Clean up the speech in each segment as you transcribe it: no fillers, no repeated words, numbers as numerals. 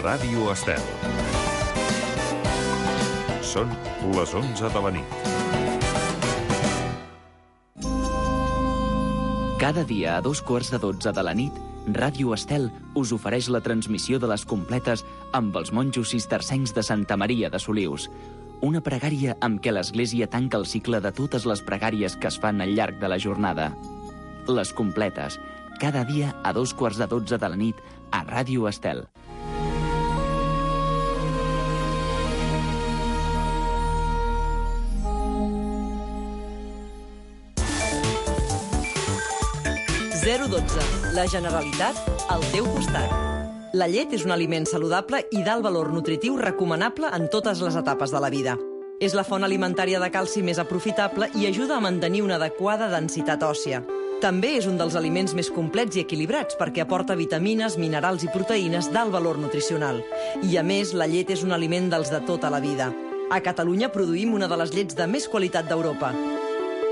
Ràdio Estel. Són les 11 de la nit. Cada dia a 12:15 de la nit, Ràdio Estel us ofereix la transmissió de les completes amb els monjos cistercencs de Santa Maria de Solius. Una pregària amb què l'Església tanca el cicle de totes les pregàries que es fan al llarg de la jornada. Les completes, cada dia a 12:15 de la nit a Ràdio Estel. La Generalitat al teu costat. La llet és un aliment saludable i d'alt valor nutritiu recomanable en totes les etapes de la vida. És la font alimentària de calci més aprofitable i ajuda a mantenir una adequada densitat òssia. També és un dels aliments més complets i equilibrats perquè aporta vitamines, minerals i proteïnes d'alt valor nutricional. I a més, la llet és un aliment dels de tota la vida. A Catalunya produïm una de les llets de més qualitat d'Europa.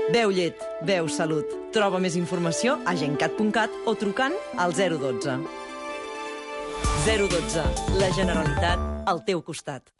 Beu llet, beu salut. Troba més informació a gencat.cat o trucant al 012. 012. La Generalitat al teu costat.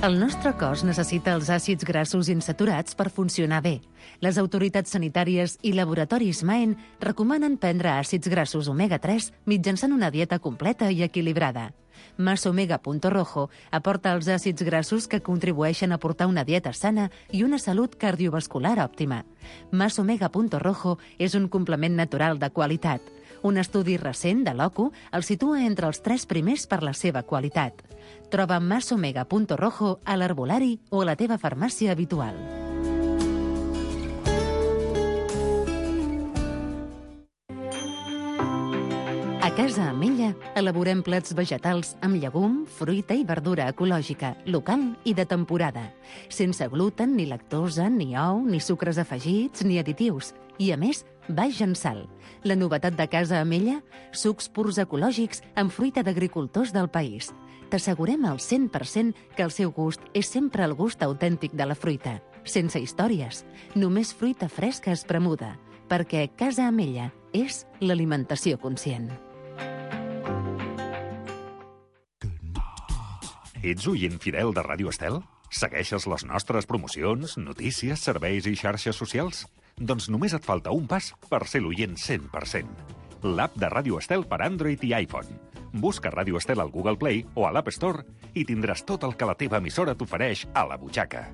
El nostre cos necessita els àcids grassos insaturats per funcionar bé. Les autoritats sanitàries i laboratoris Maen recomanen prendre àcids grassos omega-3 mitjançant una dieta completa i equilibrada. Masomega.rojo aporta els àcids grassos que contribueixen a portar una dieta sana i una salut cardiovascular òptima. Masomega.rojo és un complement natural de qualitat. Un estudi recent de l'OCU el situa entre els 3 primers per la seva qualitat. Troba Masomega.rojo a l'herbolari o a la teva farmàcia habitual. A Casa Amella elaborem plats vegetals amb llegum, fruita i verdura ecològica, local i de temporada, sense gluten, ni lactosa, ni ou, ni sucres afegits, ni additius. I, a més, baix en sal. La novetat de Casa Amella? Sucs purs ecològics amb fruita d'agricultors del país. T'assegurem al 100% que el seu gust és sempre el gust autèntic de la fruita. Sense històries, només fruita fresca espremuda, perquè Casa Amella és l'alimentació conscient. Ets oient fidel de Ràdio Estel? Segueixes les nostres promocions, notícies, serveis i xarxes socials? Doncs només et falta un pas per ser l'oient 100%. L'app de Ràdio Estel per Android i iPhone. Busca Ràdio Estel al Google Play o a l'App Store i tindràs tot el que la teva emissora t'ofereix a la butxaca.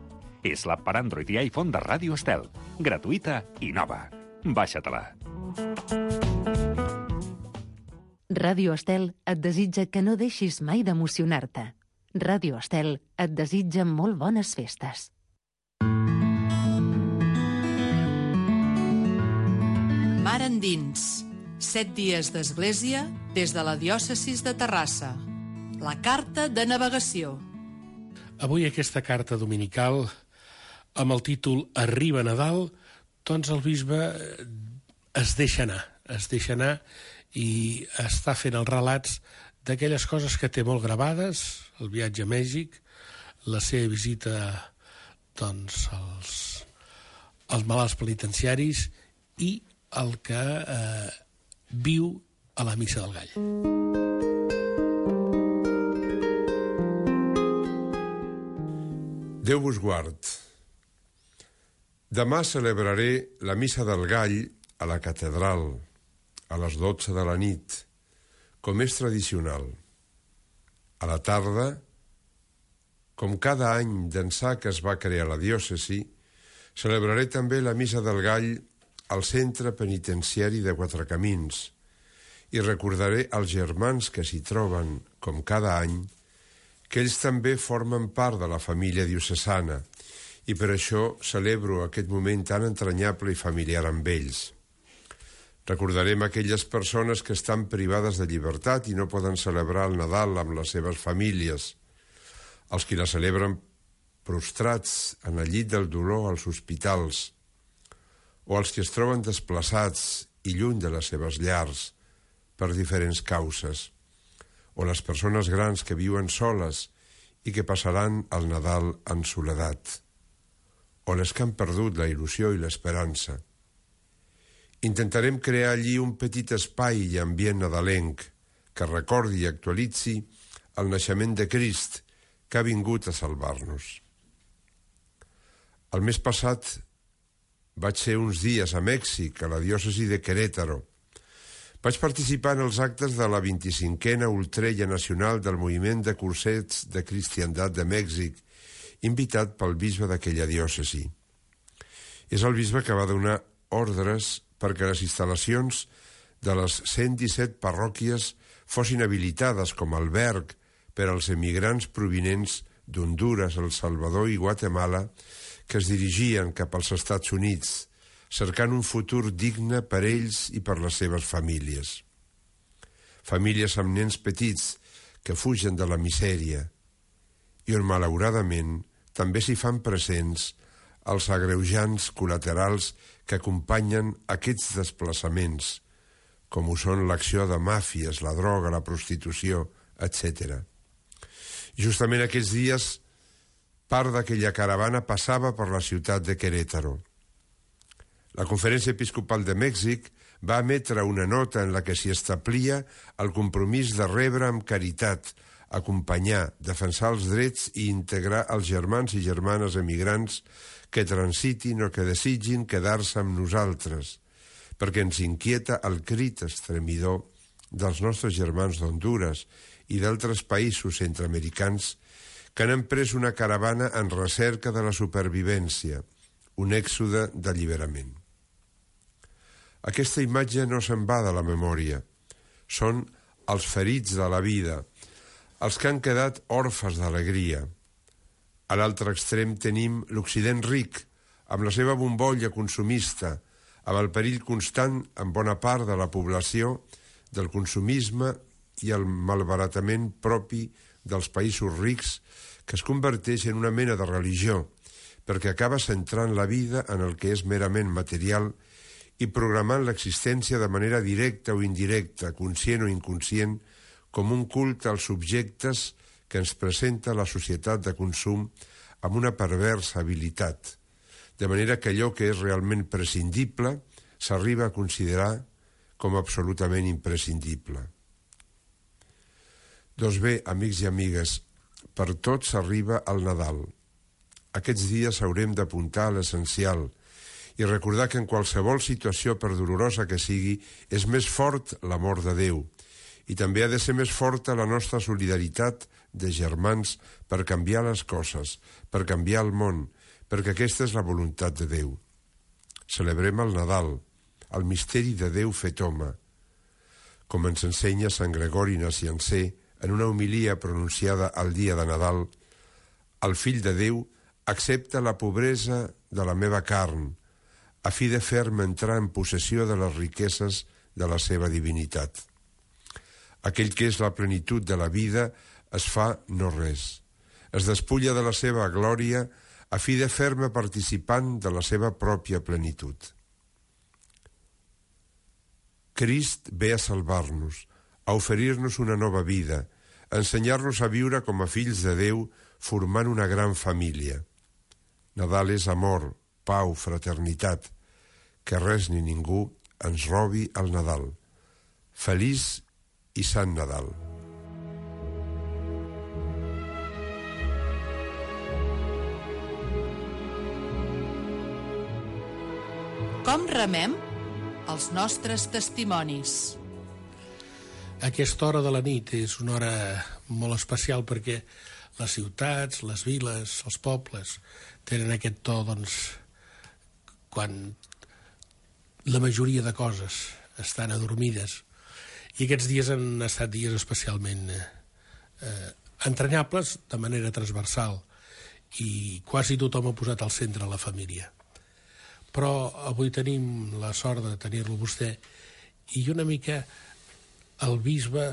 És l'app per Android i iPhone de Ràdio Estel. Gratuïta i nova. Baixa-te-la. Ràdio Estel et desitja que no deixis mai d'emocionar-te. Ràdio Estel et desitja molt bones festes. Mar endins. 7 dies d'església des de la diòcesis de Terrassa. La carta de navegació. Avui aquesta carta dominical, amb el títol Arriba Nadal, doncs el bisbe es deixa anar i està fent els relats d'aquelles coses que té molt gravades, el viatge a Mèxic, la seva visita doncs, als malalts penitenciaris i el que viu a la Missa del Gall. Déu vos guard. Demà celebraré la Missa del Gall a la catedral, a les 12 de la nit, com és tradicional. A la tarda, com cada any d'ençà que es va crear la diòcesi, celebraré també la Missa del Gall al centre penitenciari de Quatrecamins i recordaré als germans que s'hi troben, com cada any, que ells també formen part de la família diocesana i per això celebro aquest moment tan entranyable i familiar amb ells. Recordarem aquelles persones que estan privades de llibertat i no poden celebrar el Nadal amb les seves famílies, els qui la celebren prostrats en el llit del dolor als hospitals, o els que es troben desplaçats i lluny de les seves llars per diferents causes, o les persones grans que viuen soles i que passaran el Nadal en soledat, o les que han perdut la il·lusió i l'esperança. Intentarem crear allí un petit espai i ambient nadalenc, que recordi i actualitzi el naixement de Crist, que ha vingut a salvar-nos. El mes passat vaig ser uns dies a Mèxic, a la diòcesi de Querétaro. Vaig participar en els actes de la 25a Ultrella Nacional del Moviment de Cursets de Cristiandat de Mèxic, invitat pel bisbe d'aquella diòcesi. És el bisbe que va donar ordres perquè les instal·lacions de les 117 parròquies fossin habilitades com a alberg per als emigrants provinents d'Hondures, El Salvador i Guatemala que es dirigien cap als Estats Units, cercant un futur digne per ells i per les seves famílies. Famílies amb nens petits que fugen de la misèria i on, malauradament, també s'hi fan presents els agreujants col·laterals que acompanyen aquests desplaçaments, com ho són l'acció de màfies, la droga, la prostitució, etc. Justament aquests dies, part d'aquella caravana passava per la ciutat de Querétaro. La Conferència Episcopal de Mèxic va emetre una nota en la que s'hi establia el compromís de rebre amb caritat, acompanyar, defensar els drets i integrar els germans i germanes emigrants que transitin o que desitgin quedar-se amb nosaltres, perquè ens inquieta el crit estremidor dels nostres germans d'Hondures i d'altres països centreamericans que han emprès una caravana en recerca de la supervivència, un èxode d'alliberament. Aquesta imatge no se'n va de la memòria. Són els ferits de la vida, els que han quedat orfes d'alegria. A l'altre extrem tenim l'Occident ric, amb la seva bombolla consumista, amb el perill constant en bona part de la població del consumisme i el malbaratament propi dels països rics que es converteix en una mena de religió, perquè acaba centrant la vida en el que és merament material i programant l'existència de manera directa o indirecta, conscient o inconscient, com un culte als subjectes que ens presenta la societat de consum amb una perversa habilitat, de manera que allò que és realment prescindible s'arriba a considerar com absolutament imprescindible. Doncs bé, amics i amigues, per tots s'arriba el Nadal. Aquests dies haurem d'apuntar a l'essencial i recordar que en qualsevol situació, per dolorosa que sigui, és més fort l'amor de Déu i també ha de ser més forta la nostra solidaritat de germans per canviar les coses, per canviar el món, perquè aquesta és la voluntat de Déu. Celebrem el Nadal, el misteri de Déu fet home, com ens ensenya Sant Gregori Naciancé en una homilia pronunciada al dia de Nadal. El Fill de Déu accepta la pobresa de la meva carn, a fi de fer-me entrar en possessió de les riqueses de la seva divinitat. Aquell que és la plenitud de la vida es fa no res. Es despulla de la seva glòria a fi de fer-me participant de la seva pròpia plenitud. Crist ve a salvar-nos, a oferir-nos una nova vida, a ensenyar-nos a viure com a fills de Déu, formant una gran família. Nadal és amor, pau, fraternitat. Que res ni ningú ens robi el Nadal. Feliç i Sant Nadal. Com remem els nostres testimonis? Aquesta hora de la nit és una hora molt especial perquè les ciutats, les viles, els pobles tenen aquest to, doncs, quan la majoria de coses estan adormides. I aquests dies han estat dies especialment entranyables de manera transversal i quasi tothom ha posat al centre la família. Però avui tenim la sort de tenir-lo vostè i una mica el bisbe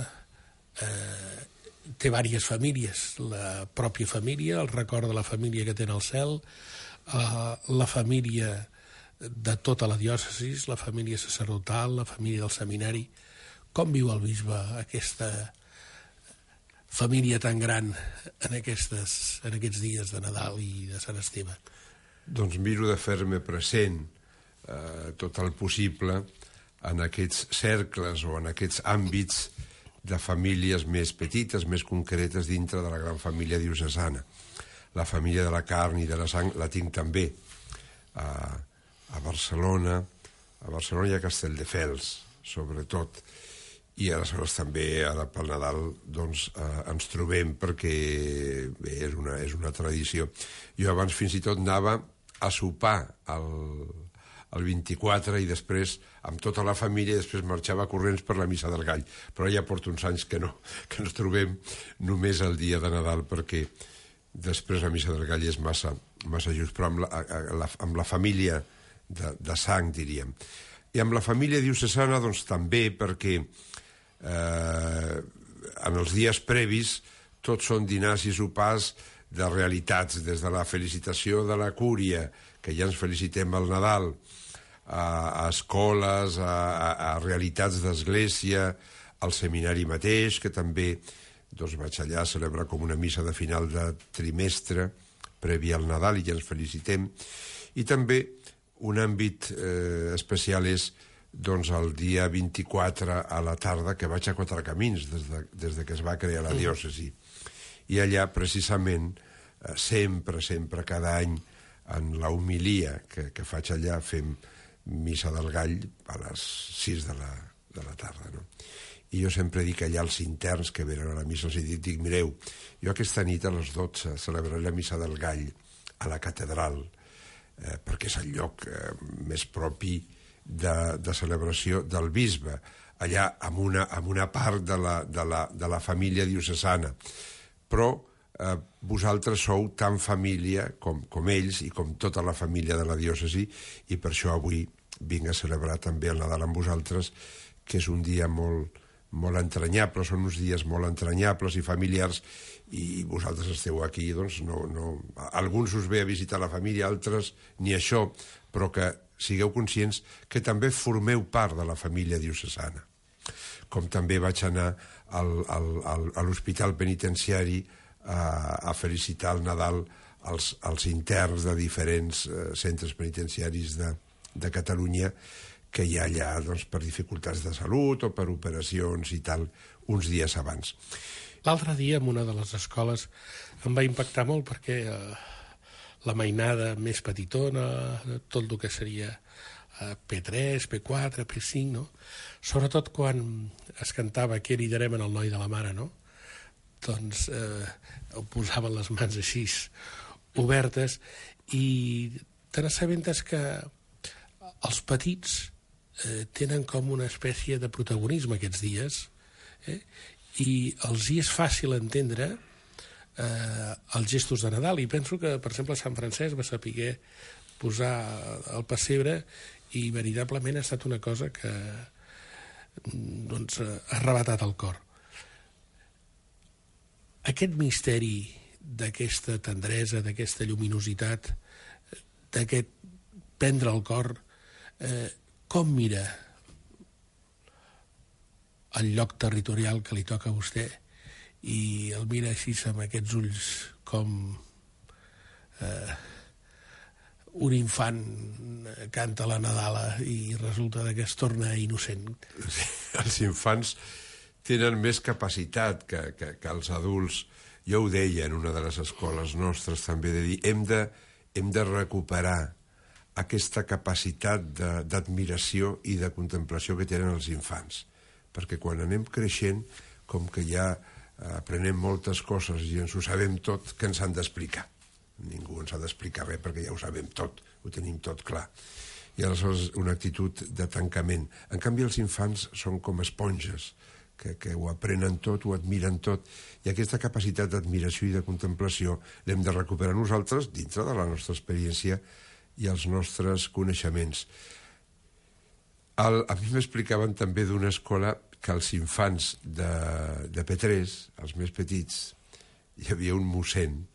té diverses famílies, la pròpia família, el record de la família que té al cel, la família de tota la diòcesi, la família sacerdotal, la família del seminari. Com viu el bisbe aquesta família tan gran en aquests dies de Nadal i de Sant Esteve? Doncs miro de fer-me present tot el possible en aquests cercles o en aquests àmbits de famílies més petites, més concretes dintre de la gran família diocesana. La família de la carn i de la sang la tinc també a Barcelona. A Barcelona hi ha Castelldefels, sobretot. I aleshores també ara pel Nadal doncs, ens trobem perquè bé, és una tradició. Jo abans fins i tot anava a sopar el 24 i després amb tota la família i després marxava corrents per la Missa del Gall. Però ja porto uns anys que ens trobem només el dia de Nadal perquè després la Missa del Gall és massa just, però amb la família de sang, diríem. I amb la família diocesana doncs, també perquè en els dies previs tots són dinars i sopars de realitats, des de la felicitació de la cúria, que ja ens felicitem al Nadal, a escoles, a realitats d'església, al seminari mateix, que també doncs, vaig allà a celebrar com una missa de final de trimestre previ al Nadal i ja ens felicitem. I també un àmbit especial és doncs, el dia 24 a la tarda, que vaig a Quatre Camins des de que es va crear la diòcesi. I allà, precisament, sempre, cada any, en la homilia que faig allà, fem Missa del Gall a les 6 de la tarda. No? I jo sempre dic allà als interns que venen a la missa, els dic, mireu, jo aquesta nit a les 12 celebraré la Missa del Gall a la catedral, perquè és el lloc més propi de celebració del bisbe, allà amb una part de la família diocesana. Però vosaltres sou tan família com ells i com tota la família de la diòcesi, i per això avui vinc a celebrar també el Nadal amb vosaltres, que és un dia molt entranyable, són uns dies molt entranyables i familiars, i vosaltres esteu aquí, doncs alguns us ve a visitar la família, altres ni això, però que sigueu conscients que també formeu part de la família diocesana. Com també vaig anar a l'hospital penitenciari a felicitar el Nadal als interns de diferents centres penitenciaris de Catalunya que hi ha allà doncs, per dificultats de salut o per operacions i tal, uns dies abans. L'altre dia, en una de les escoles, em va impactar molt perquè la mainada més petitona, tot el que seria P3, P4, P5, no? Sobretot quan es cantava Què liderem en el noi de la mare, no? Doncs posaven les mans així obertes i te n'assabentes que els petits tenen com una espècie de protagonisme aquests dies i els hi és fàcil entendre els gestos de Nadal, i penso que, per exemple, Sant Francesc va saber posar el pessebre i veritablement ha estat una cosa que doncs, ha arrebatat el cor. Aquest misteri d'aquesta tendresa, d'aquesta lluminositat, d'aquest prendre el cor, com mira el lloc territorial que li toca a vostè i el mira així amb aquests ulls com un infant canta la Nadala i resulta que es torna innocent. Els infants tenen més capacitat que els adults. Jo ho deia en una de les escoles nostres també, de dir hem de recuperar aquesta capacitat d'admiració i de contemplació que tenen els infants, perquè quan anem creixent, com que ja aprenem moltes coses i ens ho sabem tot, que ens han d'explicar. Ningú ens ha d'explicar res perquè ja ho sabem tot, ho tenim tot clar. I aleshores una actitud de tancament. En canvi els infants són com esponges, que ho aprenen tot, ho admiren tot, i aquesta capacitat d'admiració i de contemplació l'hem de recuperar nosaltres dintre de la nostra experiència i els nostres coneixements. A mi m'explicaven també d'una escola que els infants de P3, els més petits, hi havia un mossèn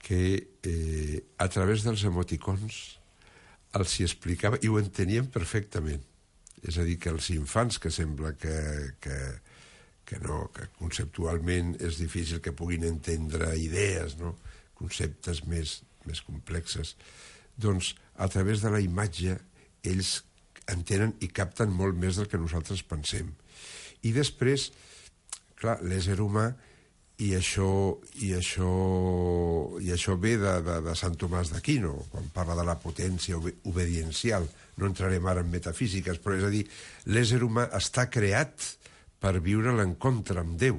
que a través dels emoticons els hi explicava i ho entenien perfectament. És a dir, que els infants, que sembla que conceptualment és difícil que puguin entendre idees, no? Conceptes més complexes, doncs a través de la imatge ells entenen i capten molt més del que nosaltres pensem. I després clar, l'ésser humà, i això ve de Sant Tomàs d'Aquino, quan parla de la potència obediencial. No entrarem ara en metafísiques, però és a dir, l'ésser humà està creat per viure l'encontre amb Déu.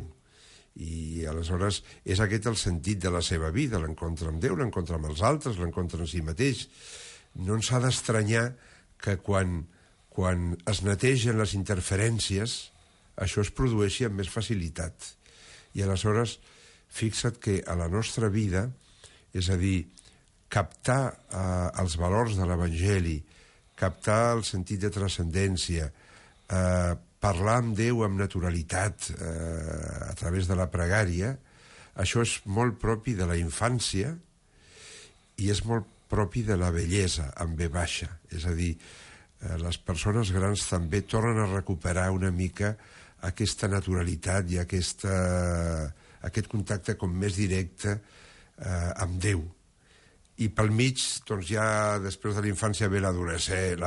I aleshores és aquest el sentit de la seva vida, l'encontre amb Déu, l'encontre amb els altres, l'encontre en si mateix. No ens ha d'estranyar que quan es netegen les interferències, això es produeixi amb més facilitat. I aleshores, fixa't que a la nostra vida, és a dir, captar els valors de l'Evangeli, captar el sentit de transcendència, parlar amb Déu amb naturalitat a través de la pregària, això és molt propi de la infància i és molt propi de la vellesa, amb V baixa. És a dir, les persones grans també tornen a recuperar una mica aquesta naturalitat i aquest contacte com més directe amb Déu. I pel mig, doncs ja després de la infància ve la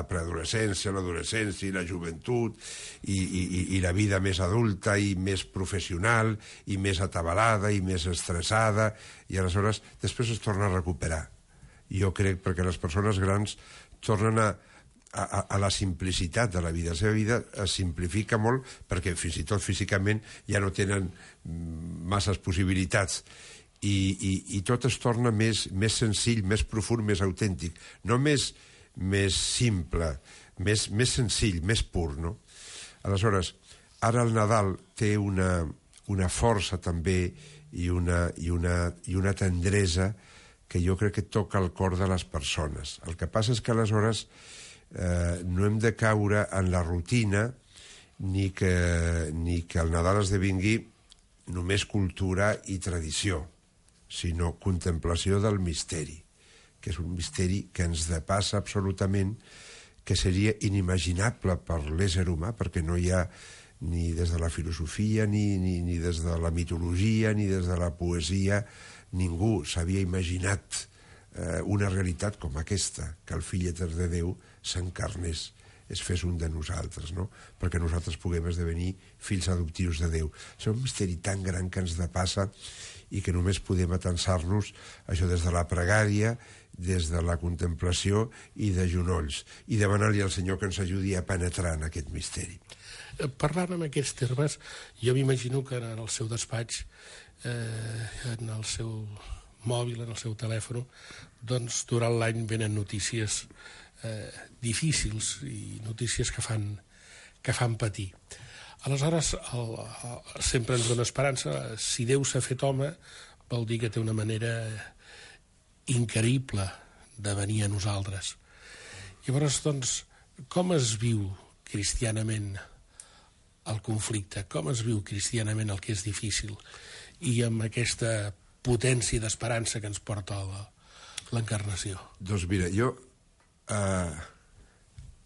preadolescència, l'adolescència i la joventut i la vida més adulta i més professional i més atabalada i més estressada, i aleshores després es torna a recuperar. Jo crec perquè les persones grans tornen a la simplicitat de la vida. La seva vida es simplifica molt perquè fins i tot físicament ja no tenen masses possibilitats i tot es torna més senzill, més profund, més autèntic. No més simple, més senzill, més pur, no? Aleshores, ara el Nadal té una força també i una tendresa que jo crec que toca el cor de les persones. El que passa és que aleshores no hem de caure en la rutina ni que el Nadal esdevingui només cultura i tradició, sinó contemplació del misteri, que és un misteri que ens depassa absolutament, que seria inimaginable per l'ésser humà, perquè no hi ha ni des de la filosofia, ni des de la mitologia, ni des de la poesia, ningú s'havia imaginat una realitat com aquesta, que el fill etern de Déu s'encarnés, es fes un de nosaltres, no? Perquè nosaltres puguem esdevenir fills adoptius de Déu. És un misteri tan gran que ens depassa i que només podem atensar-nos això des de la pregària, des de la contemplació i de genolls, i demanar-li al Senyor que ens ajudi a penetrar en aquest misteri. Parlant en aquests termes, jo m'imagino que en el seu despatx, en el seu mòbil, en el seu telèfon, doncs durant l'any venen notícies difícils i notícies que fan patir. Aleshores, sempre ens dona esperança. Si Déu s'ha fet home, vol dir que té una manera increïble de venir a nosaltres. Llavors, doncs, com es viu cristianament el conflicte? Com es viu cristianament el que és difícil? I amb aquesta potència d'esperança que ens porta l'encarnació. Doncs mira, jo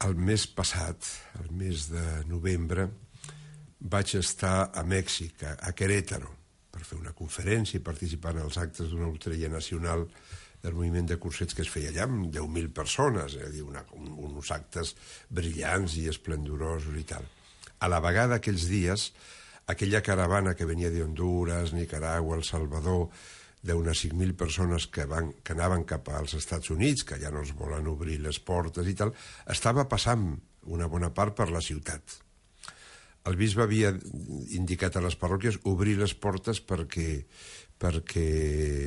el mes passat, el mes de novembre, vaig estar a Mèxic, a Querétaro, per fer una conferència i participar en els actes d'una loteria nacional del moviment de cursets que es feia allà amb 10.000 persones, és a dir, uns actes brillants i esplendorosos i tal. A la vegada, aquells dies, aquella caravana que venia d'Honduras, Nicaragua, El Salvador, d'unes 5.000 persones que anaven cap als Estats Units, que ja no es volen obrir les portes i tal, estava passant una bona part per la ciutat. El bisbe havia indicat a les parròquies obrir les portes perquè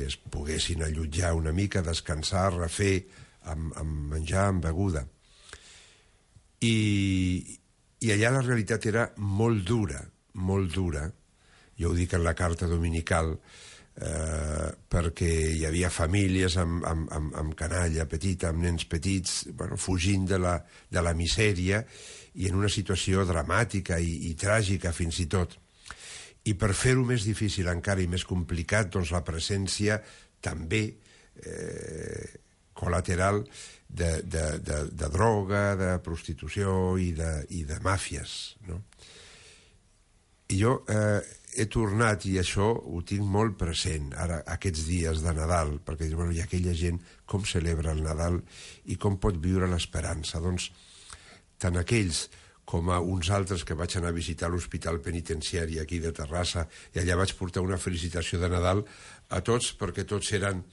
es poguessin allotjar una mica, descansar, refer, amb menjar, amb beguda. I allà la realitat era molt dura, molt dura. Jo ho dic en la carta dominical, perquè hi havia famílies amb canalla petita, amb nens petits, fugint de la misèria i en una situació dramàtica i tràgica fins i tot. I per fer-ho més difícil encara i més complicat, doncs la presència també col·lateral de droga, de prostitució i de màfies, no? I jo he tornat, i això ho tinc molt present, ara, aquests dies de Nadal, perquè hi ha aquella gent com celebra el Nadal i com pot viure l'esperança. Doncs, tant aquells com a uns altres que vaig anar a visitar l'hospital penitenciari aquí de Terrassa, i allà vaig portar una felicitació de Nadal a tots, perquè tots eren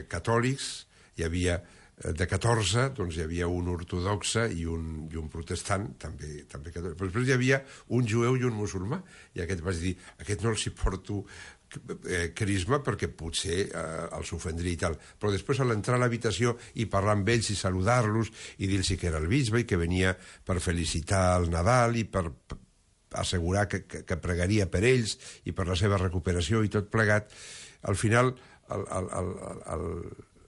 catòlics. Hi havia de 14, doncs hi havia un ortodoxe i un protestant, també catòlic. Però després hi havia un jueu i un musulmà, i aquest vaig dir, aquest no els hi porto crisma perquè potser els ofendria i tal. Però després, a l'entrar a l'habitació i parlar amb ells i saludar-los i dir-los que era el bisbe i que venia per felicitar el Nadal i per assegurar que pregaria per ells i per la seva recuperació i tot plegat, al final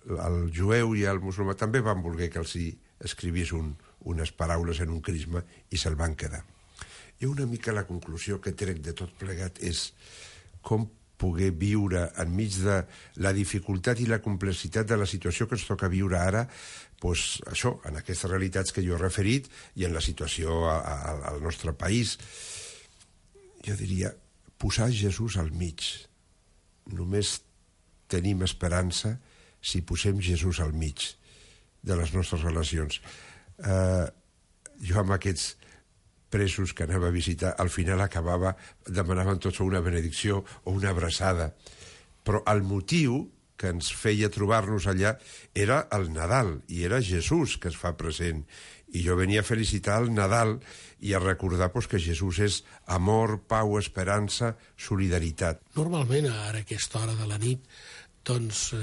el jueu i el musulmà també van voler que els hi escrivís unes paraules en un crisma i se'l van quedar. I una mica la conclusió que trec de tot plegat és com poder viure enmig de la dificultat i la complexitat de la situació que ens toca viure ara, doncs això, en aquestes realitats que jo he referit i en la situació al nostre país. Jo diria, posar Jesús al mig. Només tenim esperança si posem Jesús al mig de les nostres relacions. Jo amb aquests presos que anava a visitar, al final demanaven tots una benedicció o una abraçada. Però el motiu que ens feia trobar-nos allà era el Nadal, i era Jesús que es fa present. I jo venia a felicitar el Nadal i a recordar que Jesús és amor, pau, esperança, solidaritat. Normalment, ara a aquesta hora de la nit, doncs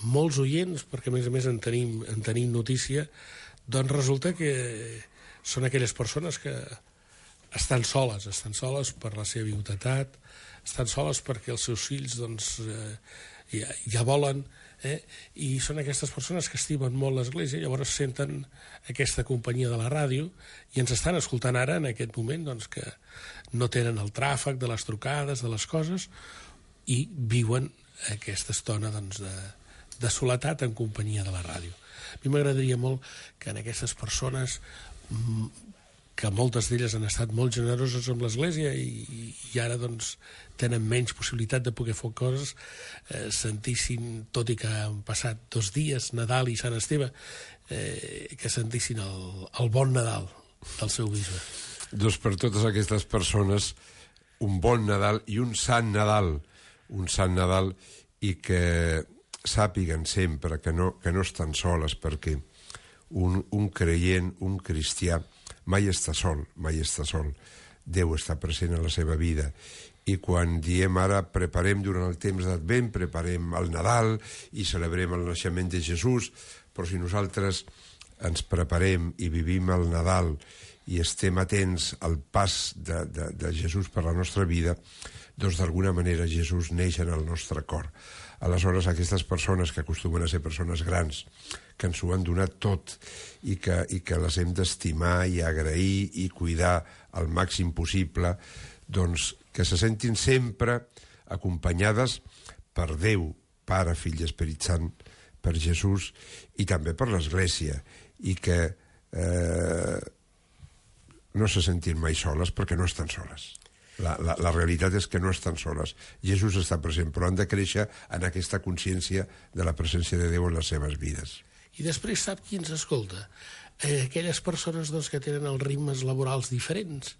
molts oients, perquè a més en tenim notícia, doncs resulta que són aquelles persones que estan soles per la seva viudetat, estan soles perquè els seus fills doncs, ja volen, i són aquestes persones que estimen molt l'Església, llavors senten aquesta companyia de la ràdio i ens estan escoltant ara en aquest moment doncs, que no tenen el tràfic de les trucades, de les coses, i viuen aquesta estona doncs, de soledat en companyia de la ràdio. A mi m'agradaria molt que en aquestes persones, que moltes d'elles han estat molt generoses amb l'Església i ara doncs tenen menys possibilitat de poder fer coses, sentissin, tot i que han passat 2 dies, Nadal i Sant Esteve, que sentissin el bon Nadal del seu bisbe. Doncs per totes aquestes persones, un bon Nadal i un sant Nadal, i que sàpiguen sempre que no estan soles, perquè un creient, un cristià, mai està sol. Déu està present a la seva vida. I quan diem ara preparem durant el temps d'Advent, preparem el Nadal i celebrem el naixement de Jesús, però si nosaltres ens preparem i vivim el Nadal i estem atents al pas de Jesús per la nostra vida, doncs d'alguna manera Jesús neix en el nostre cor. Aleshores, aquestes persones que acostumen a ser persones grans, que ens ho han donat tot i que les hem d'estimar i agrair i cuidar al màxim possible, doncs que se sentin sempre acompanyades per Déu, Pare, Fill i Esperit Sant, per Jesús i també per l'Església, i que no se sentin mai soles perquè no estan soles. La realitat és que no estan soles. Jesús està present, però han de créixer en aquesta consciència de la presència de Déu en les seves vides. I després sap qui ens escolta? Aquelles persones doncs, que tenen els ritmes laborals diferents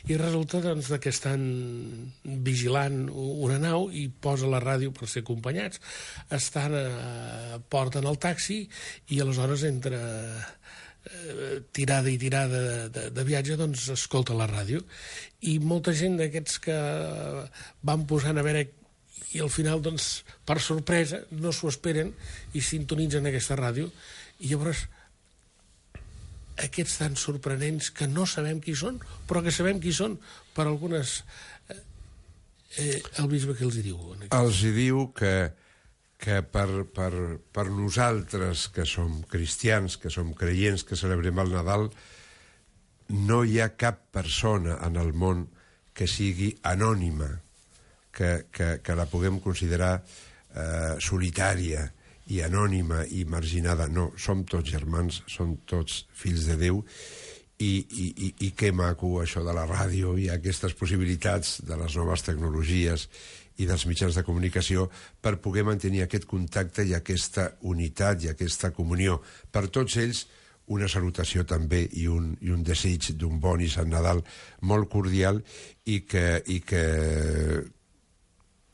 i resulta doncs, que estan vigilant una nau i posa la ràdio per ser acompanyats, porten el taxi i aleshores entre tirada i tirada de viatge doncs escolta la ràdio, i molta gent d'aquests que van posant a veure, i al final doncs per sorpresa no s'ho esperen i sintonitzen aquesta ràdio, i llavors aquests tan sorprenents que no sabem qui són, però que sabem qui són per algunes... el bisbe que els hi diu? Els hi diu que per nosaltres, que som cristians, que som creients, que celebrem el Nadal, no hi ha cap persona en el món que sigui anònima, que la puguem considerar solitària i anònima i marginada. No, som tots germans, som tots fills de Déu, i que maco això de la ràdio i aquestes possibilitats de les noves tecnologies i dels mitjans de comunicació per poder mantenir aquest contacte i aquesta unitat i aquesta comunió. Per tots ells, una salutació també i un desig d'un bon i sant Nadal molt cordial i que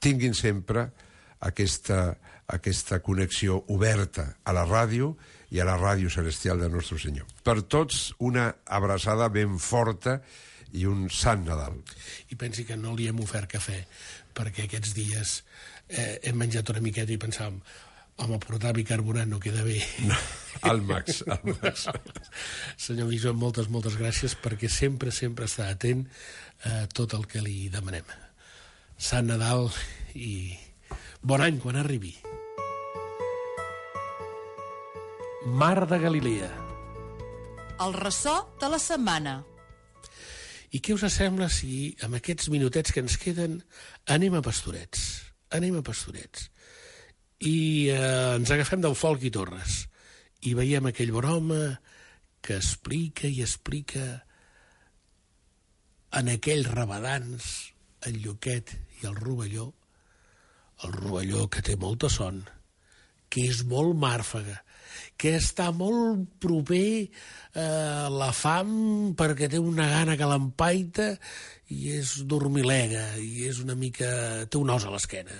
tinguin sempre aquesta connexió oberta a la ràdio i a la ràdio celestial de Nostre Senyor. Per tots, una abraçada ben forta i un sant Nadal. I pensi que no li hem ofert cafè, perquè aquests dies hem menjat una miqueta i pensàvem, home, portar bicarbonat no queda bé. No, al max. Senyor bisbe, moltes gràcies, perquè sempre està atent a tot el que li demanem. Sant Nadal i bon any quan arribi. Mar de Galilea. El ressò de la setmana. I què us sembla si amb aquests minutets que ens queden anem a Pastorets? I ens agafem del Folk i Torres i veiem aquell bon home que explica en aquells rabadans el Lluquet i el Rovelló que té molta son, que és molt màrfaga, que està molt proper a la fam perquè té una gana que l'empaita i és dormilega i és una mica... té un os a l'esquena.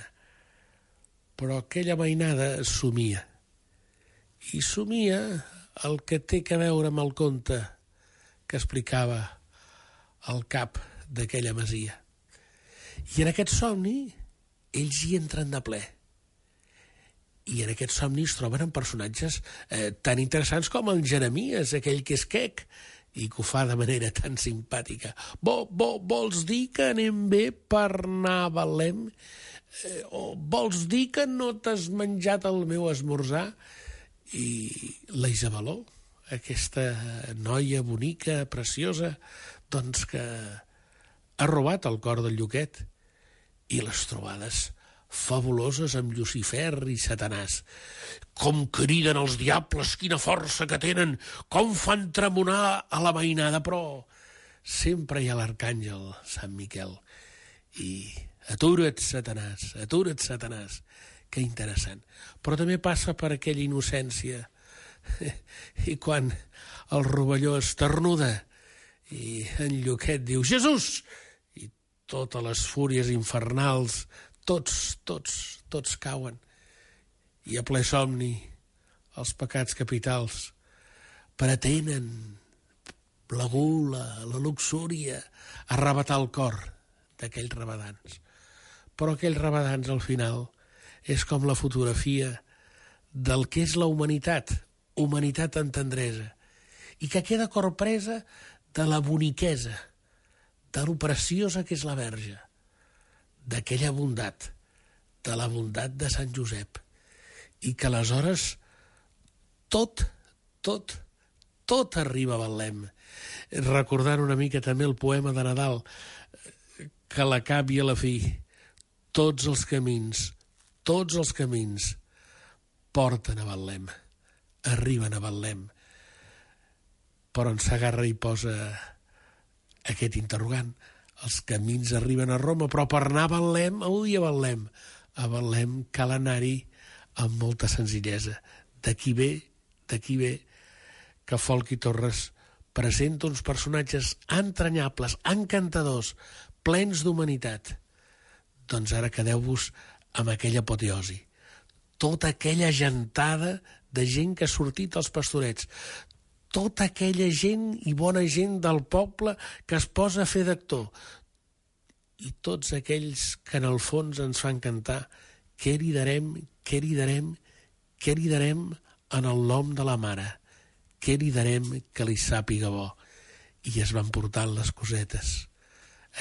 Però aquella mainada somia. I somia el que té a veure amb el conte que explicava el cap d'aquella masia. I en aquest somni ells hi entren de ple. I en aquest somni es troben personatges tan interessants com el Jeremies, aquell que és quec, i que ho fa de manera tan simpàtica. Vols dir que anem bé per anar a Betlem? O vols dir que no t'has menjat el meu esmorzar? I la Isabeló, aquesta noia bonica, preciosa, doncs que ha robat el cor del Lluquet. I les trobades fabuloses amb Llucifer i Satanàs. Com criden els diables, quina força que tenen, com fan tremolar a la mainada, però sempre hi ha l'arcàngel Sant Miquel. I atura't, Satanàs, que interessant. Però també passa per aquella innocència. I quan el Rovelló esternuda i en Lluquet diu Jesús! I totes les fúries infernals tots cauen. I a ple somni els pecats capitals pretenen la gula, la luxúria, arrabatar el cor d'aquells rabadans. Però aquells rabadans al final és com la fotografia del que és la humanitat en tendresa, i que queda corpresa de la boniquesa, de lo preciosa que és la Verge, d'aquella bondat, de la bondat de Sant Josep, i que aleshores tot arriba a Betlem. Recordant una mica també el poema de Nadal, que a la cap i a la fi tots els camins porten a Betlem, arriben a Betlem. Però en s'agarra i posa aquest interrogant. Els camins arriben a Roma, però per anar a Betlem, a Betlem cal anar-hi amb molta senzillesa. D'aquí ve que Folk i Torres presenta uns personatges entranyables, encantadors, plens d'humanitat. Doncs ara quedeu-vos amb aquella apoteosi. Tota aquella gentada de gent que ha sortit als Pastorets, tota aquella gent i bona gent del poble que es posa a fer d'actor, i tots aquells que en el fons ens fan cantar què cridarem en el nom de la mare, què cridarem que li sàpiga bo. I es van portant les cosetes,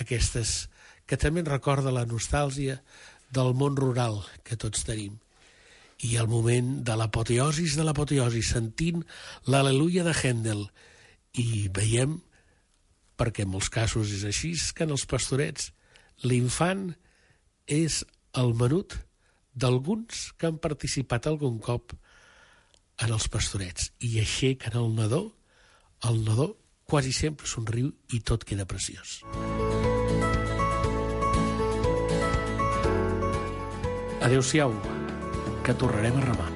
aquestes que també ens recorda la nostàlgia del món rural que tots tenim. I el moment de l'apoteosi, sentint l'Al·leluia de Händel. I veiem, perquè en molts casos és així, que en els Pastorets l'infant és el menut d'alguns que han participat algun cop en els Pastorets. I aixequen el nadó quasi sempre somriu i tot queda preciós. Adéu-siau, que tornarem a remar.